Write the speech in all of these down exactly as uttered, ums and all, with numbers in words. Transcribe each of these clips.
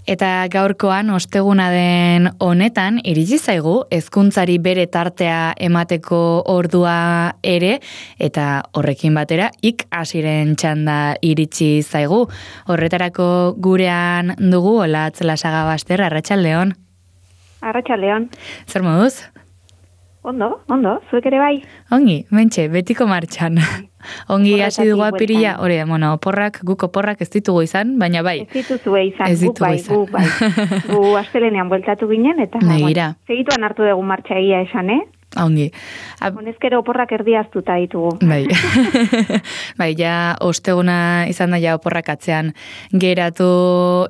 Eta gaurkoan osteguna den honetan iritsi zaigu hezkuntzari bere tartea emateko ordua ere eta horrekin batera ik hasiren txanda iritsi zaigu. Horretarako gurean dugu Olatz Lasagabaster, arratsaldeon. Arratsaldeon. Zer moduz? Ondo, ondo, zuek ere bai. Ongi, mentxe, betiko martxan. Ongi hasi dugu apirila, hori, bueno, oporrak, guk oporrak ez ditugu izan, baina bai. Ez dituzue izan, ez guk bai, guk bai. Gu astelenean bueltatu ginen, eta bueno, segituan hartu dugu martxa egia esan, eh? Ongi. Honezkero oporrak erdiaztuta ditugu. Bai. Bai, ja osteguna izan da ja oporrak atzean geratu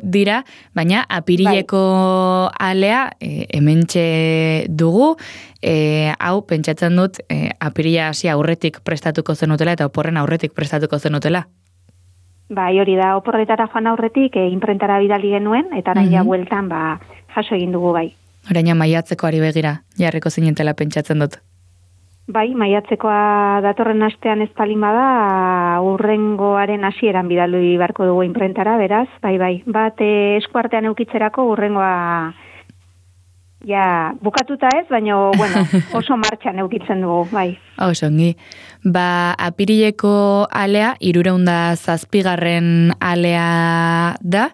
dira, baina apirileko bai. alea e, hementxe dugu, e, hau pentsatzen dut e, apirila hasi aurretik prestatuko zenutela eta oporren aurretik prestatuko zenutela. Bai, hori da, oporretara joan aurretik e, imprentara bidali genuen, eta orain ja bueltan ba, jaso egin dugu bai. Oraina maiatzeko ari begira, jarriko zinentela pentsatzen dut. Bai, maiatzekoa datorren astean ez palin bada, urrengoaren hasieran bidalui beharko dugu imprentara, beraz, bai, bai. Bat eh, eskuartean eukitzerako urrengoa ja bukatuta ez, baina, bueno, oso martxan eukitzen dugu, bai. Oso, ongi. Ba, apirileko alea, irureunda zazpigarren alea da,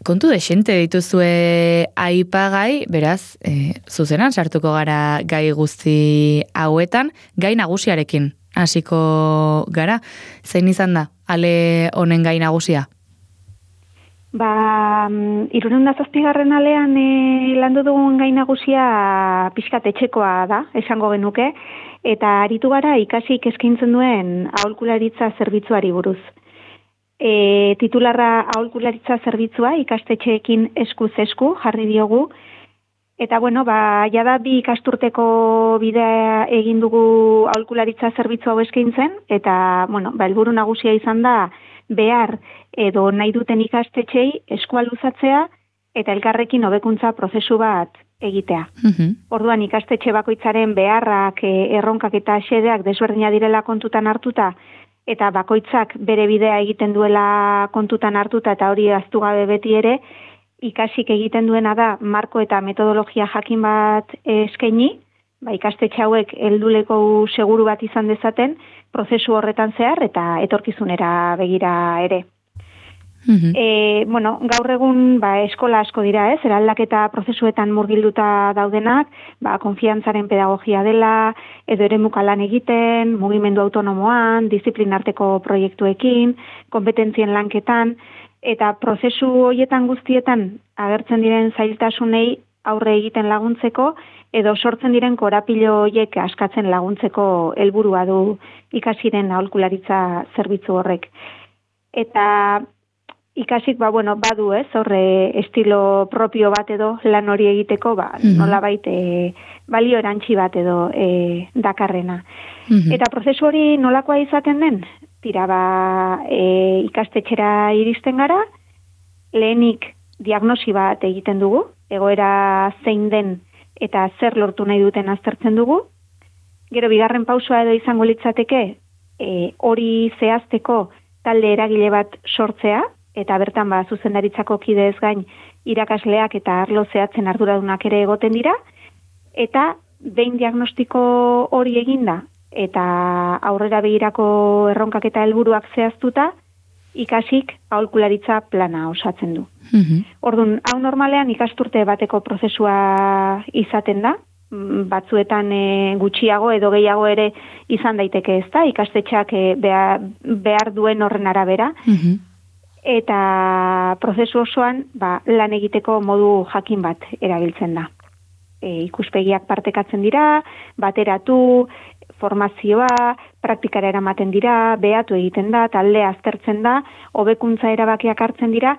kontu desente dituzue aipagai, beraz, e, zuzenan sartuko gara gai guzti hauetan, gai nagusiarekin hasiko gara. Zein izan da, ale honen gai nagusia? Ba, irureunda zazpigarren alean e, landu dugun gai nagusia pixkat etxekoa da, esango genuke, eta aritu gara ikasik eskaintzen duen aholkularitza zerbitzuari buruz. E, titularra aholkularitza zerbitzua ikastetxeekin eskuz esku jarri diogu, eta bueno, ba, jada bi ikasturteko bidea egin dugu aholkularitza zerbitzu hau eskaintzen, eta bueno, ba, helburu nagusia izan da behar edo nahi duten ikastetxei eskua luzatzea eta elkarrekin hobekuntza prozesu bat egitea. Mm-hmm. Orduan ikastetxe bakoitzaren beharrak, erronkak eta xedeak desberdina direla kontutan hartuta, eta bakoitzak bere bidea egiten duela kontutan hartuta eta hori ahaztu gabe beti ere, ikasik egiten duena da marko eta metodologia jakin bat eskaini, ba, ikastetxe hauek helduleko seguru bat izan dezaten, prozesu horretan zehar eta etorkizunera begira ere. Mm-hmm. E, bueno, gaur egun ba, eskola asko dira, ez, eraldaketa prozesuetan murgilduta daudenak, ba, konfiantzaren pedagogia dela, edo eremuka lan egiten, mugimendu autonomoan, disiplinarteko proiektuekin, kompetentzien lanketan, eta prozesu horietan guztietan agertzen diren zailtasunei aurre egiten laguntzeko, edo sortzen diren korapilo horiek askatzen laguntzeko helburua du ikasiren aholkularitza zerbitzu horrek. Eta ikasik, ba, bueno, badu ez, horre estilo propio bat edo lan hori egiteko, ba, mm-hmm. nolabait e, balio erantzi bat edo e, dakarrena. Mm-hmm. Eta prozesu hori nolakoa izaten den? Tira, ba, e, ikastetxera iristen gara, lehenik diagnosi bat egiten dugu, egoera zein den eta zer lortu nahi duten aztertzen dugu. Gero, bigarren pausua edo izango litzateke, e, hori zehazteko talde eragile bat sortzea, eta bertan ba zuzendaritzako kidez gain irakasleak eta arlo zehatzen arduradunak ere egoten dira, eta behin diagnostiko hori eginda eta aurrera begirako erronkak eta helburuak zehaztuta, ikasik aholkularitza plana osatzen du. Mm-hmm. Orduan, hau normalean ikasturte bateko prozesua izaten da, batzuetan e, gutxiago edo gehiago ere izan daiteke, ezta, ikastetxeak e, behar, behar duen horren arabera, mm-hmm. eta prozesu osoan ba, lan egiteko modu jakin bat erabiltzen da. E, ikuspegiak partekatzen dira, bateratu, formazioa, praktikara eramaten dira, behatu egiten da, taldea aztertzen da, hobekuntza erabakiak hartzen dira,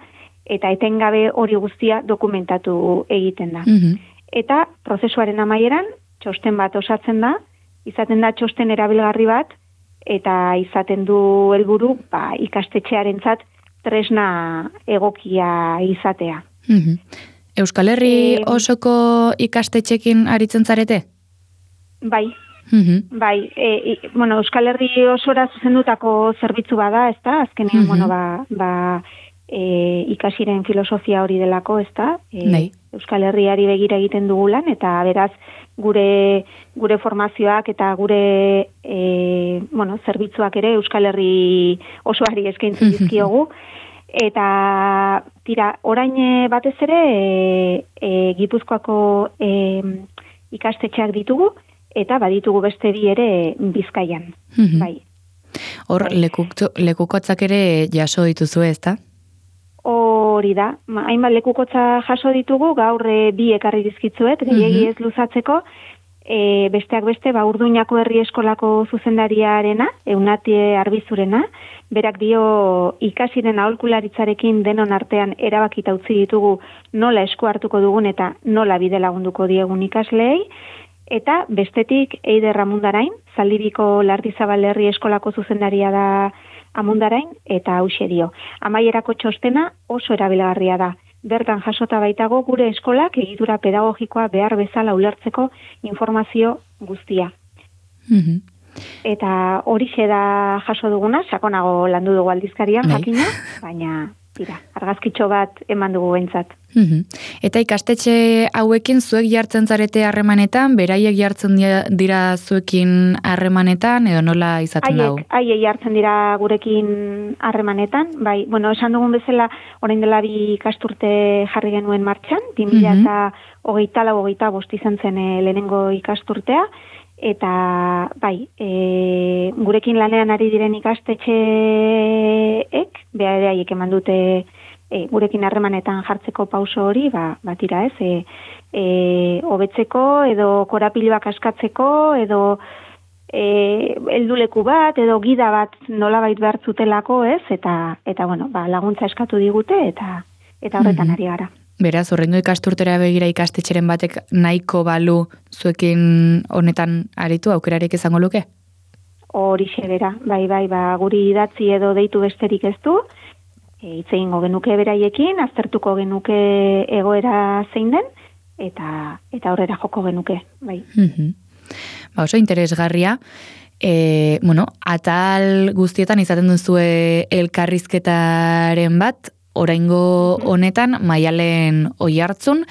eta etengabe hori guztia dokumentatu egiten da. Mm-hmm. Eta prozesuaren amaieran, txosten bat osatzen da, izaten da txosten erabilgarri bat, eta izaten du helburu ba, ikastetxearentzat tresna egokia izatea. Mm-hmm. Euskal Herri e, osoko ikastetxekin aritzen zarete? Bai, mm-hmm. bai. E, e, bueno, Euskal Herri osora zuzendutako zerbitzu bada, ez da? Azkenean, mm-hmm. bueno, ba, ba e, ikasiren filosofia hori delako, ezta? E, Nei. Euskal Herriari begira egiten dugulan, eta beraz gure gure formazioak eta gure e, bueno, zerbitzuak ere Euskal Herri osoari eskaintzen dizkiogu. Eta tira, orain batez ere e, e, Gipuzkoako e, ikastetxeak ditugu, eta baditugu beste bi ere Bizkaian. Bai. Hor, lekukotzak ere jaso dituzu, ezta? Hori da, hainbat lekukotza jaso ditugu, gaur e, bi ekarri dizkitzuet, gehiegi ez luzatzeko, e, besteak beste, ba, Urduñako Herri Eskolako zuzendariarena, Eunatie Arbizurena, berak dio ikasiren aholkularitzarekin denon artean erabakita utzi ditugu nola esku hartuko dugun eta nola bide lagunduko diegun ikasleei, eta bestetik Eider Amundarain, Zaldibiko Lardizabal Herri Eskolako zuzendaria da Amundarain, eta hauxe dio. Amaierako txostena oso erabilgarria da. Bertan jasota baitago gure eskolak egitura pedagogikoa behar bezala ulertzeko informazio guztia. Mm-hmm. Eta horixe da jaso duguna, sakonago landu dugu aldizkarian, jakina, baina tira, argazkitxo bat eman dugu bentsat. Mm-hmm. Eta ikastetxe hauekin zuek jartzen zarete harremanetan, beraiek jartzen dira zuekin harremanetan, edo nola izaten dago? Haiek jartzen dira gurekin harremanetan, bai, bueno, esan dugun bezala, orain dela bi ikasturte jarri genuen martxan, bi mila eta hogeita lau hogeita bost izan zen lehenengo ikasturtea, eta bai, e, gurekin lanean ari diren ikastetxeek, behar eman dute e, gurekin harremanetan jartzeko pauso hori, ba, batira ez, e, e, hobetzeko edo korapiloak askatzeko edo e, helduleku bat edo gida bat nolabait behar zutelako ez, eta, eta bueno, ba, laguntza eskatu digute eta, eta horretan ari gara. Beraz, horrengo ikasturtera begira ikastetxeren batek nahiko balu zuekin honetan aritu aukerarik izango luke? Horixe bera, bai, bai, ba, guri idatzi edo deitu besterik ez du, e, hitz egingo genuke beraiekin, aztertuko genuke egoera zein den, eta eta aurrera joko genuke, bai. Mm-hmm. Ba, oso interesgarria, e, bueno, atal guztietan izaten duzue elkarrizketaren bat, oraingo honetan Maialen Oihartzun,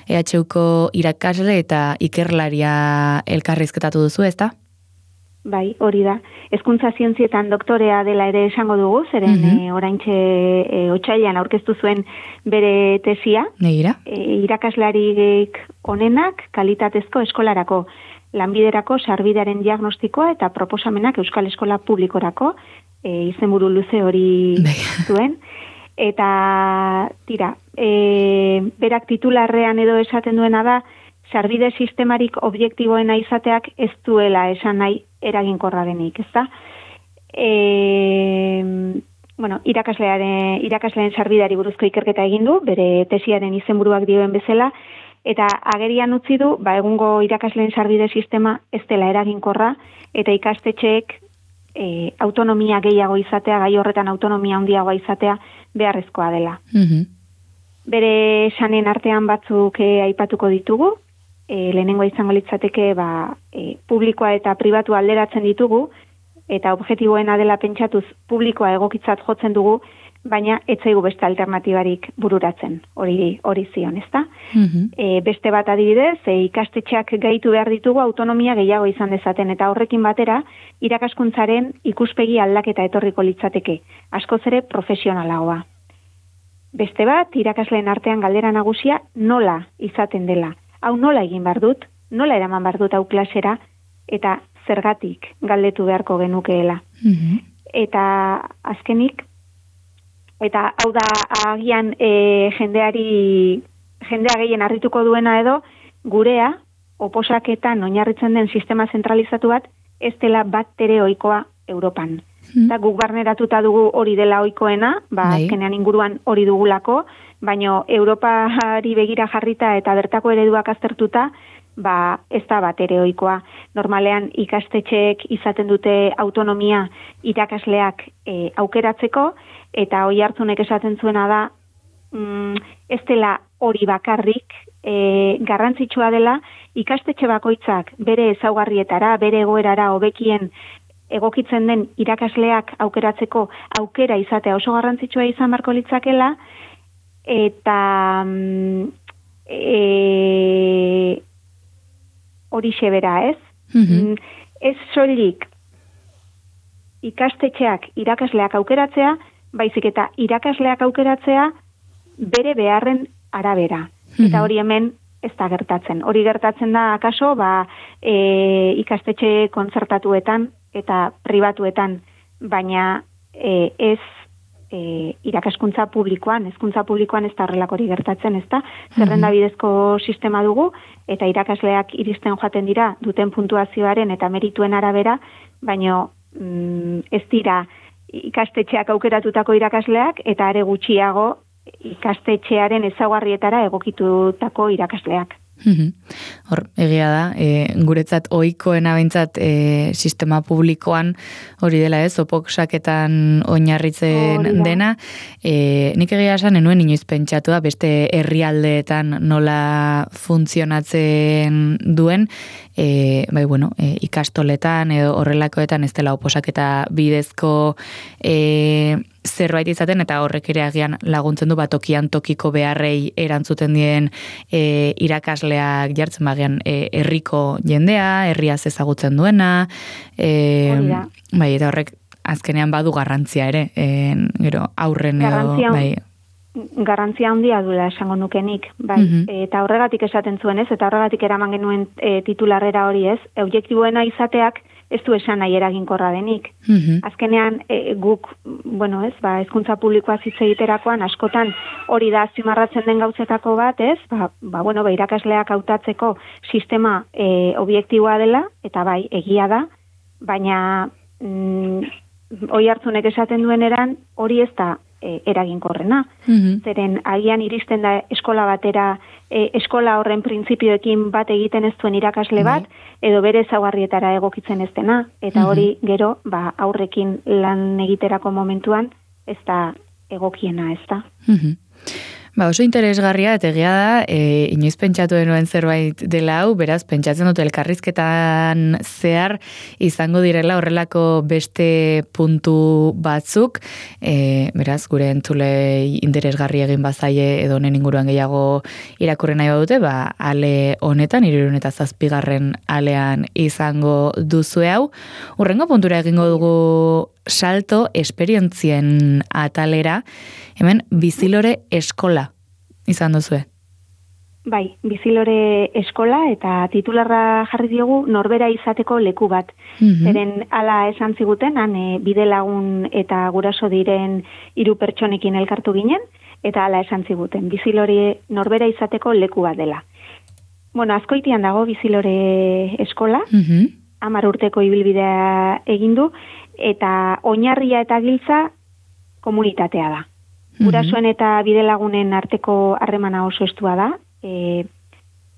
E H Uko irakasle eta ikerlaria elkarrizketatu duzu, ezta? Bai, hori da. Hezkuntza zientzietan doktorea dela ere esango dugu, zeren mm-hmm. e, oraintxe e, otsailean aurkeztu zuen bere tesia. Negira? E, irakaslerik onenak kalitatezko eskolarako, lanbiderako sarbidearen diagnostikoa eta proposamenak Euskal Eskola Publikorako, e, izenburu luze hori zuen. Eta, tira, e, berak titularrean edo esaten duena da, sarbide sistemarik objektiboena izateak ez duela esan nahi eraginkorra denik, ezta? E, bueno, irakaslearen, irakasleen sarbideari buruzko ikerketa egin du, bere tesiaren izenburuak dioen bezala, eta agerian utzi du, ba, egungo irakasleen sarbide sistema ez dela eraginkorra, eta ikastetxeek e, autonomia gehiago izatea, gai horretan autonomia handiagoa izatea, beharrezkoa dela. Mm-hmm. Bere sanen artean batzuk e, aipatuko ditugu, e, lehenengoa izango litzateke ba, e, publikoa eta pribatua alderatzen ditugu, eta objektiboena dela pentsatuz publikoa egokitzat jotzen dugu, baina ez zaigu beste alternatibarik bururatzen, hori hori zion, ezta? Mm-hmm. E, beste bat adibidez, e, ikastetxeak gaitu behar ditugu autonomia gehiago izan dezaten, eta horrekin batera, irakaskuntzaren ikuspegi aldaketa etorriko litzateke, askoz ere profesionalagoa. Beste bat, irakasleen artean galdera nagusia nola izaten dela. Hau nola egin behar dut, nola eraman behar dut hau klasera, eta zergatik galdetu beharko genukeela. Mm-hmm. Eta azkenik, eta hau da agian e, jendeari, jendea gehien harrituko duena edo, gurea, oposaketan oinarritzen den sistema zentralizatu bat, ez dela bat ere ohikoa Europan. Mm. Eta guk barneratuta dugu hori dela ohikoena, ba, azkenean inguruan hori dugulako, baino Europari begira jarrita eta bertako ereduak aztertuta, ba, ez da bat ere ohikoa. Normalean ikastetxeek izaten dute autonomia irakasleak e, aukeratzeko, eta Oihartzunek esaten zuena da, mm, ez dela hori bakarrik, e, garrantzitsua dela, ikastetxe bakoitzak bere ezaugarrietara, bere egoerara hobekien egokitzen den irakasleak aukeratzeko aukera izatea oso garrantzitsua izan beharko litzakela, eta e, horixe bera, ez? Mm-hmm. Ez soilik ikastetxeak irakasleak aukeratzea, baizik eta irakasleak aukeratzea bere beharren arabera. Mm-hmm. Eta hori hemen ez da gertatzen. Hori gertatzen da, akaso, ba, e, ikastetxe kontzertatuetan eta pribatuetan, baina e, ez e, irakaskuntza publikoan, hezkuntza publikoan ez da horrelako hori gertatzen, ez da? Zerrenda bidezko sistema dugu, eta irakasleak iristen joaten dira duten puntuazioaren eta merituen arabera, baina mm, ez dira ikastetxeak aukeratutako irakasleak, eta are gutxiago ikastetxearen ezaugarrietara egokitutako irakasleak. Hor, egia da, e, guretzat ohikoena behintzat e, sistema publikoan hori dela ez, opoksaketan oinarritzen oh, dena. E, nik egia esan enuen inoiz pentsatua beste herrialdeetan nola funtzionatzen duen, e, bai, bueno, e, ikastoletan edo horrelakoetan ez dela oposaketa bidezko e, zerbait izaten, eta horrek ere agian laguntzen du batokian tokiko beharrei erantzuten dien e, irakasleak jartzen bagian e, herriko jendea, herriaz ezagutzen duena, e, bai, eta horrek azkenean badu garrantzia ere, e, gero aurren edo, bai. Garrantzia handia duela esango nukenik, bai, mm-hmm. eta horregatik esaten zuen ez, eta horregatik eraman genuen e, titularrera hori ez, objektiboena izateak ez du esan nahi eraginkorra denik. Mm-hmm. Azkenean e, guk, bueno ez, ba, hezkuntza publikoa hitz egiterakoan askotan hori da azpimarratzen den gauzetako bat, ez, ba, ba bueno, ba, irakasleak hautatzeko sistema e, objektiboa dela, eta bai, egia da, baina mm, oi hartzunek esaten duen eran, hori ez da e, eraginkorrena. Mm-hmm. Zeren agian iristen da eskola batera, e, eskola horren printzipioekin bat egiten ez duen irakasle bat, mm-hmm. edo bere ezaugarrietara egokitzen ez dena, eta hori gero ba, aurrekin lan egiterako momentuan ez da egokiena, ez da. Mm-hmm. Ba, oso interesgarria, eta egia da, e, inoiz pentsatu denuen zerbait dela hau, beraz, pentsatzen dut elkarrizketan zehar izango direla horrelako beste puntu batzuk, e, beraz, gure entzulei interesgarri egin bazaie edo honen inguruan gehiago irakurri nahi badute, ba, ale honetan, hirurehun eta zazpigarren alean izango duzue hau. Hurrengo puntura egingo dugu salto esperientzien atalera, hemen Bizilore eskola izan duzue. Bai, Bizilore eskola eta titularra jarri diogu norbera izateko leku bat. Mm-hmm. Zeren hala esan ziguten, han e, bidelagun eta guraso diren hiru pertsonekin elkartu ginen, eta hala esan ziguten, Bizilore norbera izateko leku bat dela. Bueno, Azkoitian dago Bizilore eskola, mm-hmm. hamar urteko ibilbidea egin du, eta oinarria eta giltza komunitatea da. Gurasoen eta bidelagunen arteko harremana oso estua da. E,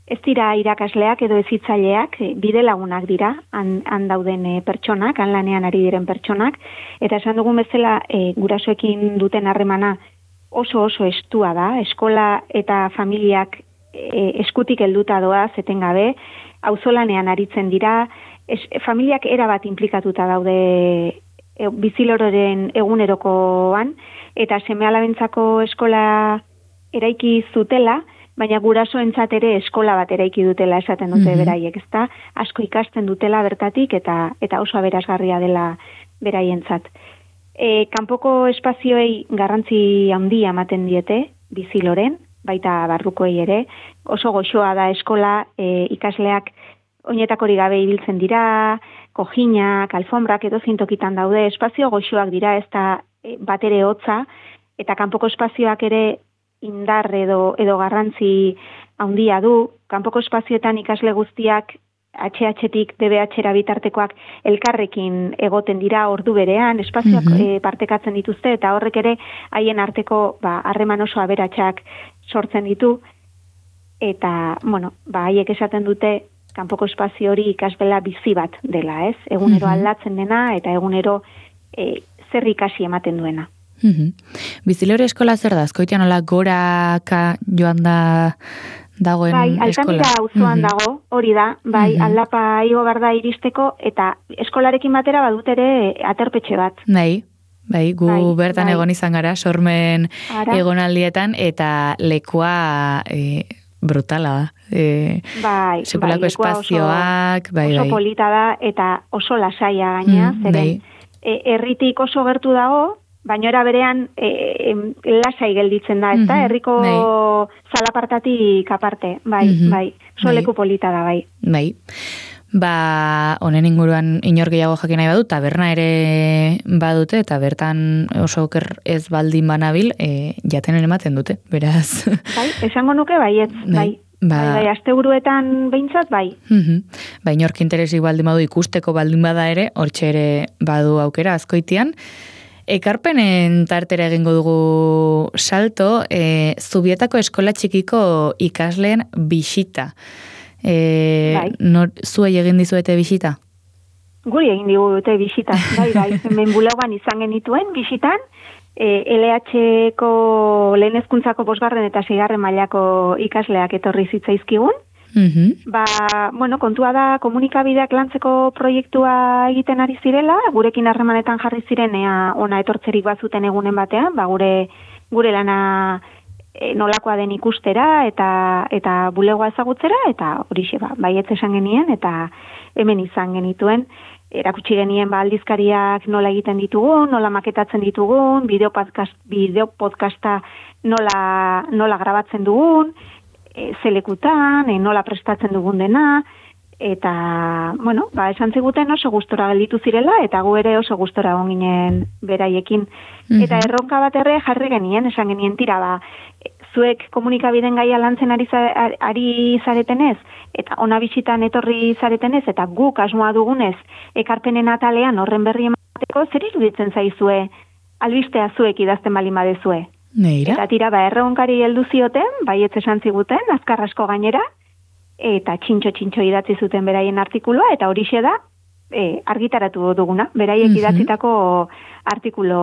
ez dira irakasleak edo hezitzaileak, e, bidelagunak dira, han, han dauden e, pertsonak, han lanean ari diren pertsonak, eta esan dugun bezala e, gurasoekin duten harremana oso oso estua da. Eskola eta familiak e, eskutik helduta doaz etengabe, auzolanean aritzen dira, es, familiak erabat implikatuta daude e, Biziloreren egunerokoan, eta seme-alabentzako eskola eraiki zutela, baina gurasoentzat ere eskola bat eraiki dutela esaten dute mm-hmm. beraiek, ezta? Asko ikasten dutela bertatik eta eta oso aberasgarria dela beraientzat. E, kanpoko espazioei garrantzi handia ematen diete Biziloren, baita barrukoei ere, oso goxoa da eskola, e, ikasleak oinetakorik gabe ibiltzen dira, kojinak, alfombrak edo zintokitan daude, espazio goxoak dira, ez da bat ere hotza, eta kanpoko espazioak ere indar edo, edo garrantzi handia du, kanpoko espazioetan ikasle guztiak H H-tik D B H-era bitartekoak elkarrekin egoten dira ordu berean, espazioak mm-hmm. e, partekatzen dituzte, eta horrek ere haien arteko ba, harreman oso aberatsak sortzen ditu, eta, bueno, ba, haiek esaten dute, kanpoko espazio hori ikasgela bizi bat dela, ez? Egunero mm-hmm. aldatzen dena, eta egunero e, zer ikasi ematen duena. Mm-hmm. Bizilore eskola zer da? Azkoitian hola goraka joan da dagoen bai, eskola. Altamira auzoan mm-hmm. dago, hori da, bai, mm-hmm. aldapa igo behar da iristeko, eta eskolarekin batera badut ere aterpetxe bat. Bai, bai, gu bai, bertan bai. Egon izan gara, sormen Ara. Egonaldietan, eta lekua e, brutala da. E, bai, sekulako bai, espazioak, oso, bai, oso bai. polita da, eta oso lasaia gaina, mm, zeren, bai. Herritik oso gertu dago, baina era berean e, e, lasai gelditzen da, ezta? Mm-hmm. Herriko bai. Zalapartatik aparte, bai, mm-hmm. bai. Soleku bai. Polita da, bai. Bai. Ba, honen inguruan inor gehiago jakin nahi badut, taberna ere badute, eta bertan oso oker ez baldin banabil, e, jatenen ematen dute, beraz. Bai, esango nuke baietz, bai. bai. Ba, bai, bai, asteburuetan behintzat, bai. Uh-huh. Ba, inork interesik baldin badu ikusteko baldin bada ere, hortxe ere badu aukera azkoitian. Ekarpenen tartera egingo dugu salto, e, Zubietako eskola txikiko ikasleen bisita. E, bai. Nor, zuei egin dizuete bisita? Guri egin digute bisita, bai, bai. Hemen bulegoan izan genituen bisitan, e, L H-ko lehen hezkuntzako bosgarren eta seigarren mailako ikasleak etorri zitzaizkigun. Mm-hmm. Ba, bueno, kontua da komunikabideak lantzeko proiektua egiten ari zirela, gurekin harremanetan jarri ziren ea ona etortzerik bazuten egunen batean, ba, gure, gure lana e, nolakoa den ikustera eta eta bulegoa ezagutzera, eta horixe ba, baietz esan genien, eta hemen izan genituen, erakutsi genien ba, aldizkariak nola egiten ditugun, nola maketatzen ditugun, bideo podcast, bideo podcasta nola, nola grabatzen dugun, E, zelekutan, e, nola prestatzen dugun dena, eta, bueno, ba, esan ziguten oso gustora gelditu zirela, eta gu ere oso gustora egon ginen beraiekin. Mm-hmm. Eta erronka bat erre jarri genien, esan genien tira, ba, zuek komunikabiden gaia lantzen ari, ari zaretenez, eta ona bisitan etorri zaretenez, eta guk asmoa dugunez, ekarpenen atalean horren berri emateko, zer iruditzen zaizue, albistea zuek idazten bali badezue. Neira? Eta tira, ba, erronkari heldu zioten, baietz esan ziguten, azkar asko gainera, eta txintxo-txintxo idatzi zuten beraien artikuloa, eta horixe da, e, argitaratu duguna, beraiek mm-hmm. idatzitako artikulo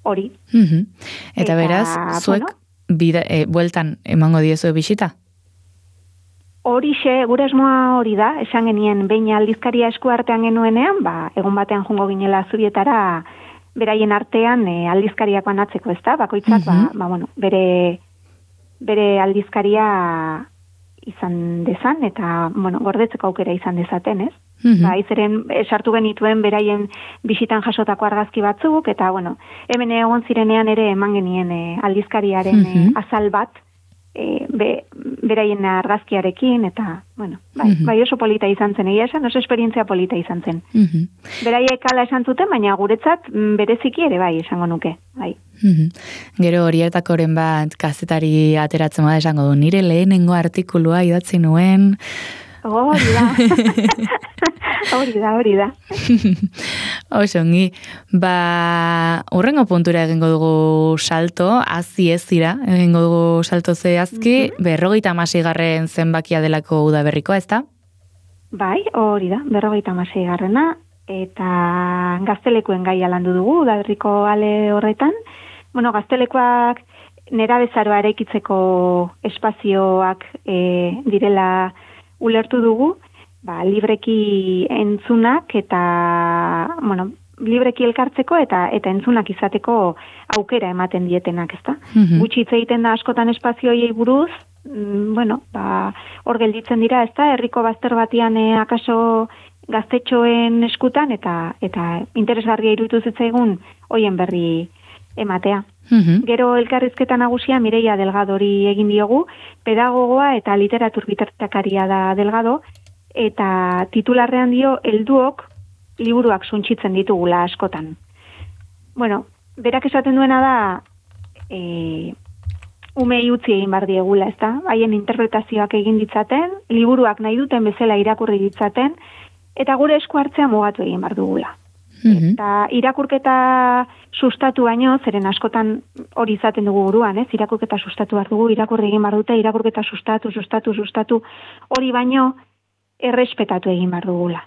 hori. Mm-hmm. Eta, eta beraz, zuek, bueno, bida, e, bueltan emango diezu bisita? Horixe, gure asmoa hori da, esan genien, behin aldizkaria esku artean genuenean, ba, egun batean jungo ginela Zubietara, beraien artean e, aldizkariak banatzeko, ezta? Bakoitzak, mm-hmm. ba, ba, bueno, bere, bere aldizkaria izan dezan, eta, bueno, gordetzeko aukera izan dezaten, ez? Mm-hmm. Ba, izeren, esartu genituen beraien bisitan jasotako argazki batzuk, eta, bueno, hemen egon zirenean ere eman genien e, aldizkariaren mm-hmm. e, azal bat, e, be, beraien argazkiarekin, eta, bueno, bai, mm-hmm. bai oso polita izan zen, egia esan, oso esperientzia polita izan zen. Mm-hmm. Beraiek ala esan zuten, baina guretzat bereziki ere bai esango nuke, bai. Mm-hmm. Gero horietakoren bat kazetari ateratzen bada esango du, nire lehenengo artikulua idatzi nuen. Hori da, hori da, hori da. Oso, ongi, ba, urrengo puntura egingo dugu salto, hazi ez dira, egingo dugu salto zehazki, mm-hmm. berrogeita hamaseigarren zenbakia delako udaberrikoa, ezta? Bai, hori da, berrogeita hamaseigarrena, eta gaztelekuen gaia landu dugu, udaberriko ale horretan. Bueno, gaztelekoak nera bezaroa eraikitzeko espazioak e, direla ulertu dugu, ba, libreki entzunak eta, bueno, libreki elkartzeko eta eta entzunak izateko aukera ematen dietenak, ezta? Mm-hmm. Gutxi hitz egiten da askotan espazioiei buruz, mm, bueno, ba, hor gelditzen dira, ezta? Herriko bazter batean e, akaso gaztetxoen eskutan eta eta interesgarria iruditu zitzaigun hoien berri ematea. Mm-hmm. Gero elkarrizketa nagusia Mireia Delgadori egin diogu, pedagogoa eta literatur bitartekaria da Delgado, eta titularrean dio helduok liburuak suntsitzen ditugula askotan. Bueno, berak esaten duena da e, umei utzi egin bar diegula, ezta? Haien interpretazioak egin ditzaten, liburuak nahi duten bezala irakurri ditzaten, eta gure esku hartzea mugatu egin bar dugula. Mm-hmm. Eta irakurketa sustatu baino, zeren askotan hori izaten dugu buruan, ez? Irakurketa sustatu behar dugu, irakurri egin behar dute, irakurketa sustatu, sustatu, sustatu, hori baino errespetatu egin behar dugula.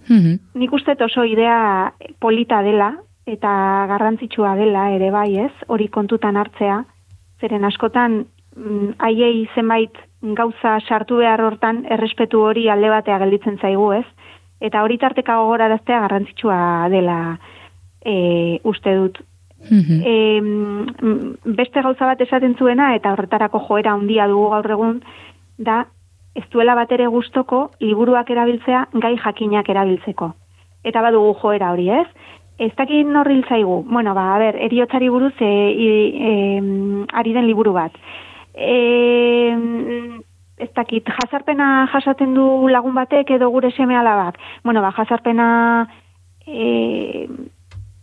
Mm-hmm. Nik uste oso idea polita dela, eta garrantzitsua dela ere bai, ez? Hori kontutan hartzea, zeren askotan haiei zenbait gauza sartu behar hortan errespetu hori alde batea gelditzen zaigu, ez? Eta hori tarteka gogoraraztea garrantzitsua dela e, uste dut. Mhm. E, beste gauza bat esaten zuena, eta horretarako joera handia dugu gaur egun, da ez duela bat ere gustoko liburuak erabiltzea gai jakinak erabiltzeko. Eta badugu joera hori, ez? Ez dakit norril zaigu. Bueno, ba, a ber, eriotzari buruz e, e, ari den liburu bat. E, ez dakit, jazarpena jasaten du lagun batek edo gure seme alabak. Bueno, ba, jazarpena e,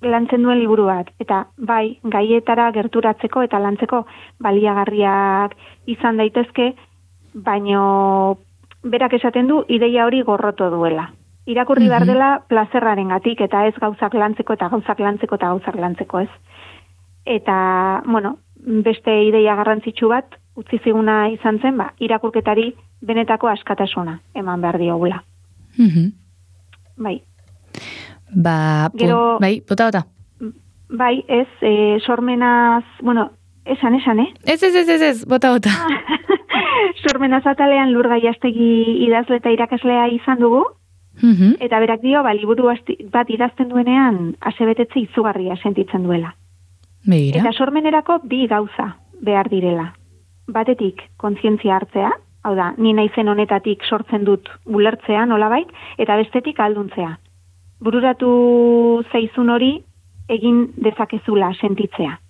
lantzen duen liburu bat. Eta bai, gaietara gerturatzeko eta lantzeko baliagarriak izan daitezke, baino berak esaten du ideia hori gorroto duela. Irakurri behar dela plazerraren gatik, eta ez gauzak lantzeko eta gauzak lantzeko eta gauzak lantzeko, ez. Eta, bueno, beste ideia garrantzitsu bat, utzi ziguna izan zen, ba, irakurketari benetako askatasuna eman behar diogula. Mhm. Bai. Ba, pu, Gero, bai, bota, bota. Bai, ez, e, sormenaz, bueno, esan, esan, eh? Ez, ez, ez, ez, ez, bota, bota. Sormenaz atalean Lur Gaiastegi idazle eta irakaslea izan dugu, Mhm. eta berak dio, ba, liburu bat idazten duenean asebetetze izugarria sentitzen duela. Begira. Eta sormenerako bi gauza behar direla. Batetik, kontzientzia hartzea, hau da, ni naizen honetatik sortzen dut ulertzea nolabait, eta bestetik alduntzea. Bururatu zaizun hori egin dezakezula sentitzea.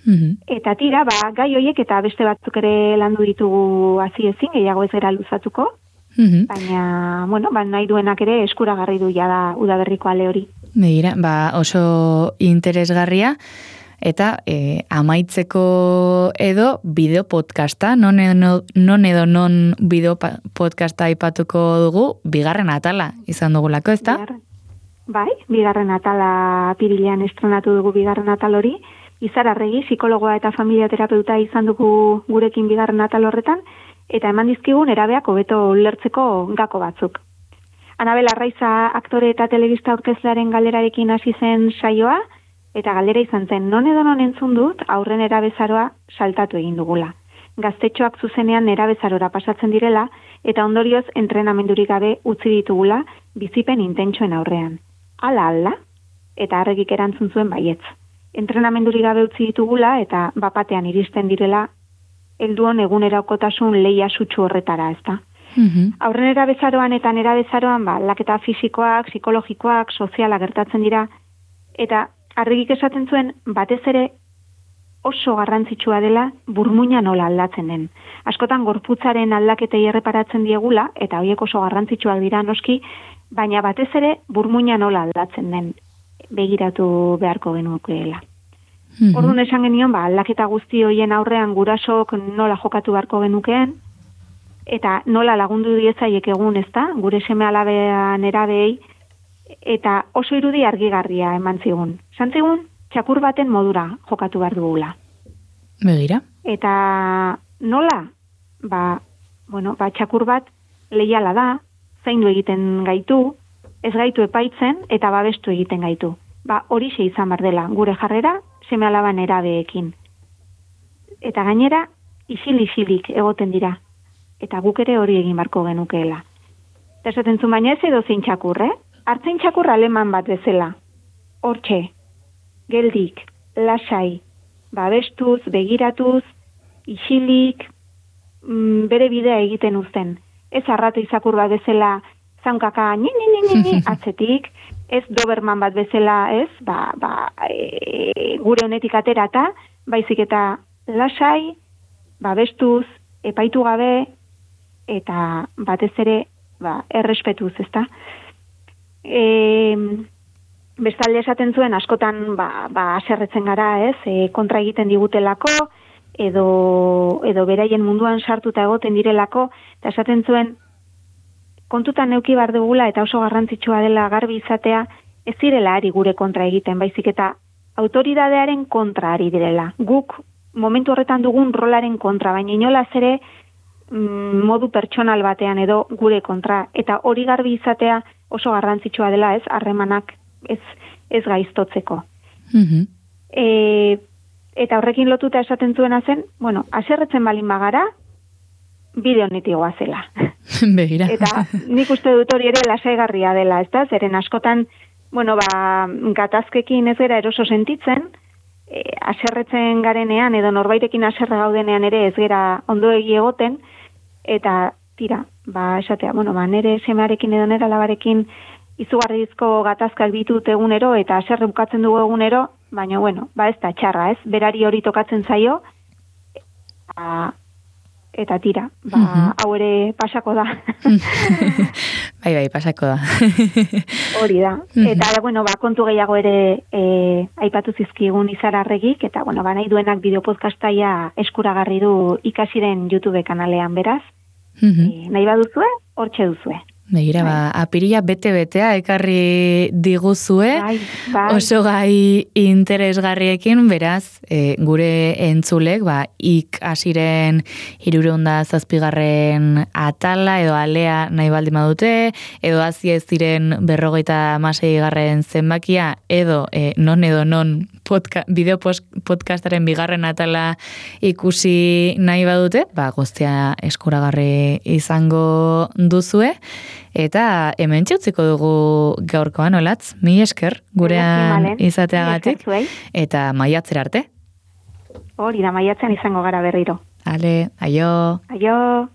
Mhm. Eta tira, ba, gai hoiek eta beste batzuk ere landu ditugu hasi ezin, gehiago ez gara luzatuko, Mhm. baina, bueno, ba, nahi duenak ere eskuragarri du jada udaberriko ale hori. Begira, ba, oso interesgarria, eta e, amaitzeko edo bideo podcasta, non edo non, edo non bideo podcasta aipatuko dugu, bigarren atala izan dugulako, ezta? Bigarren, bai, bigarren atala apirilean estrenatu dugu bigarren atal hori, Izar Arregi, psikologoa eta familiaterapeuta izan dugu gurekin bigarren atal horretan, eta eman dizkigun erabeak hobeto ulertzeko gako batzuk. Anabel Arraiza aktore eta telebista aurkezlearen galderarekin hasi zen saioa, eta galdera izan zen, non edo non entzun dut aurren erabezaroa saltatu egin dugula. Gaztetxoak zuzenean erabezarora pasatzen direla, eta ondorioz entrenamendurik gabe utzi ditugula bizipen intentsoen aurrean. Hala alda, eta Arregik erantzun zuen baietz. Entrenamendurik gabe utzi ditugula, eta bapatean iristen direla, helduon egunerakotasun lehia sutsu horretara, ezta? Mhm. Aurren erabezaroan eta nerabezaroan, ba, laketa fisikoak, psikologikoak, sozialak gertatzen dira, eta Arregik esaten zuen, batez ere oso garrantzitsua dela burmuina nola aldatzen den. Askotan gorputzaren aldaketei erreparatzen diegula, eta horiek oso garrantzitsuak dira noski, baina batez ere burmuina nola aldatzen den begiratu beharko genukeela. Mhm. Orduan esan genion, ba, aldaketa guzti hoien aurrean gurasok nola jokatu beharko genukeen, eta nola lagundu diezaiek egun, ezta, gure seme alabean erabeei, eta oso irudi argigarria eman zigun. Santzigun, txakur baten modura jokatu behar dugula. Begira. Eta nola? Ba, bueno, ba, txakur bat leiala da, zaindu egiten gaitu, ez gaitu epaitzen, eta babestu egiten gaitu. Ba, horixe izan behar dela, gure jarrera, seme alaban erabeekin. Eta gainera, isil-isilik egoten dira. Eta guk ere hori egin barko genukeela. Eta esaten zu baina ez edo zein txakur, eh? Artzain txakur aleman bat bezala. Hortxe, geldik, lasai, babestuz, begiratuz, isilik, mm, bere bidea egiten uzten. Ez arratu izakur bat bezala, zaunkaka, ni, ni, ni, ni, ni, atzetik, ez Doberman bat bezala, ez, ba, ba, e, gure honetik aterata, baizik eta lasai, babestuz, epaitu gabe, eta batez ere, ba, errespetuz, ezta? E, bestalde esaten zuen, askotan, ba, ba, aserretzen gara, ez, e, kontra egiten digutelako, edo, edo beraien munduan sartuta egoten direlako, eta esaten zuen, kontutan neuki behar dugula eta oso garrantzitsua dela garbi izatea, ez direla ari gure kontra egiten, baizik eta autoridadearen kontra ari direla. Guk momentu horretan dugun rolaren kontra, baina inolaz ere mm, modu pertsonal batean edo gure kontra. Eta hori garbi izatea oso garrantzitsua dela, ez, harremanak ez, ez gaiztotzeko. Mhm. E, eta horrekin lotuta esaten zuena zen, bueno, aserretzen balin bagara, bide honetik goazela. Begira. Eta nik uste dut hori ere lasaigarria dela, ez da? Zeren askotan, bueno, ba, gatazkekin ez gara eroso sentitzen, e, aserretzen garenean, edo norbairekin aserre gaudenean ere ez gara ondoegi egoten, eta tira, ba, esatea, bueno, ba, nere semearekin edo nera labarekin izugarrizko gatazkak ditut egunero, eta aserre bukatzen dugu egunero, baina, bueno, ba, ez da txarra, ez? Berari hori tokatzen zaio, ba, eta tira, ba, uh-huh. hau ere pasako da. bai, bai, pasako da. Hori da. Eta, uh-huh. bueno, ba, kontu gehiago ere e, aipatu zizkigun Izararregik, eta, bueno, ba, nahi duenak bideopodcastaia eskuragarri du Ikasiren YouTube kanalean, beraz. Uh-huh. E, nahi baduzue, hortxe duzue. Begira, ba, apirila bete-betea ekarri diguzue, bai, bai. Oso gai interesgarriekin, beraz, e, gure entzulek, ba, Ikasiren hirureunda zazpigarren atala, edo alea nahi baldin badute, edo hazi ez diren berrogeita hamaseigarren zenbakia, edo e, non edo non podca- bideo podcastaren bigarren atala ikusi nahi badute, ba, guztia eskuragarri izango duzue. Eta hemen txutziko dugu gaurkoan, olatz, mi esker gurean izateagatik, eta maiatzera arte. Hori da, maiatzen izango gara berriro. Ale, aio. Aio.